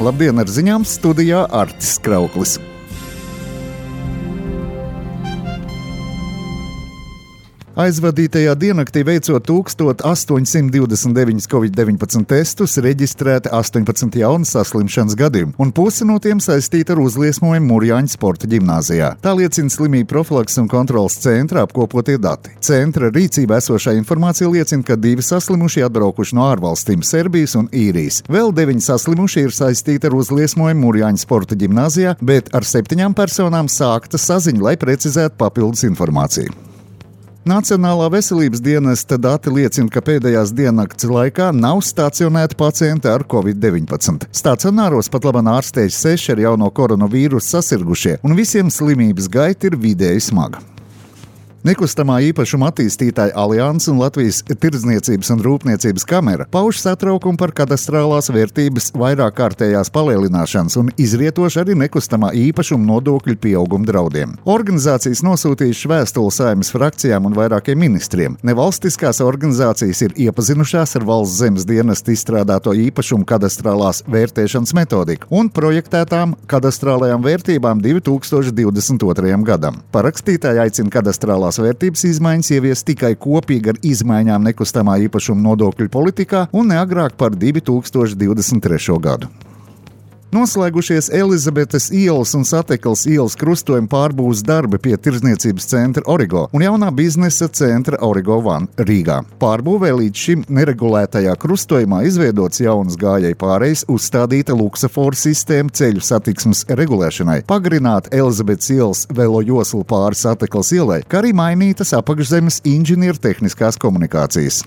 Labdien, ar ziņām studijā Artis Krauklis. Aizvadītajā diennaktī veicot 1829 Covid-19 testus, reģistrēti 18 jaunas saslimšanas gadījumi, un pusi no tiem saistīti ar uzliesmojumu Mūrjāņu sporta ģimnāzijā. Tā liecina Slimību profilakses un kontroles centra apkopotie dati. Centra rīcībā esošā informācija liecina, ka 2 saslimušie atbraukuši no ārvalstīm Serbijas un Īrijas. Vēl 9 saslimušie ir saistīti ar uzliesmojumu Mūrjāņu sporta ģimnāzijā, bet ar 7 personām sākta saziņa, lai precizētu papildus informāciju. Nacionālā veselības dienesta dati liecina, ka pēdējās diennakts laikā nav stacionēti pacienti ar Covid-19. Stacionāros pat labāk ārstējas 6 ar jauno koronavīrusu sasirgušie, un visiem slimības gaita ir vidēji smaga. Nekustamā īpašuma attīstītāja Alianses un Latvijas Tirdzniecības un Rūpniecības kamera pauž satraukumu par kadastrālās vērtības vairākkārtējās palielināšanas un izrietoši arī nekustamā īpašuma nodokļu pieauguma draudiem. Organizācijas nosūtījušas vēstuli Saeimas frakcijām un vairākiem ministriem. Nevalstiskās organizācijas ir iepazinušās ar Valsts zemes dienesta izstrādāto īpašumu kadastrālās vērtēšanas metodiku un projektētām kadastrālajām vērtībām 2022. gadam. Parakstītāji aicina kadastrālās vērtības izmaiņas ievies tikai kopīgi ar izmaiņām nekustamā īpašuma nodokļu politikā un ne agrāk par 2023. gadu. Noslēgušies Elizabetes ielas un Satekles ielas krustojuma pārbūves darbi pie Tirdzniecības centra Origo un jaunā biznesa centra Origo One Rīgā. Pārbūvē līdz šim neregulētajā krustojumā izveidots jaunas gājēju pārejas, uzstādīta luksaforu sistēma ceļu satiksmes regulēšanai, pagarināta Elizabetes ielas velo josla pāri Satekles ielai, kā arī mainītas apakšzemes inženiertehniskās komunikācijas.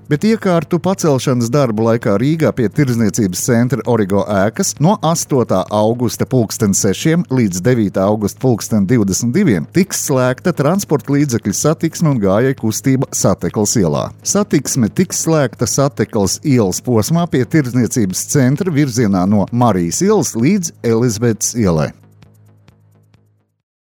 Bet iekārtu pacelšanas darbu laikā Rīgā pie Tirdzniecības centra Origo ēkas no 8. augusta 6. līdz 9. augusta 22. tiks slēgta transporta līdzekļu satiksme un gājēju kustība Satekles ielā. Satiksme tiks slēgta Satekles ielas posmā pie Tirdzniecības centra virzienā no Marijas ielas līdz Elizabetes ielai.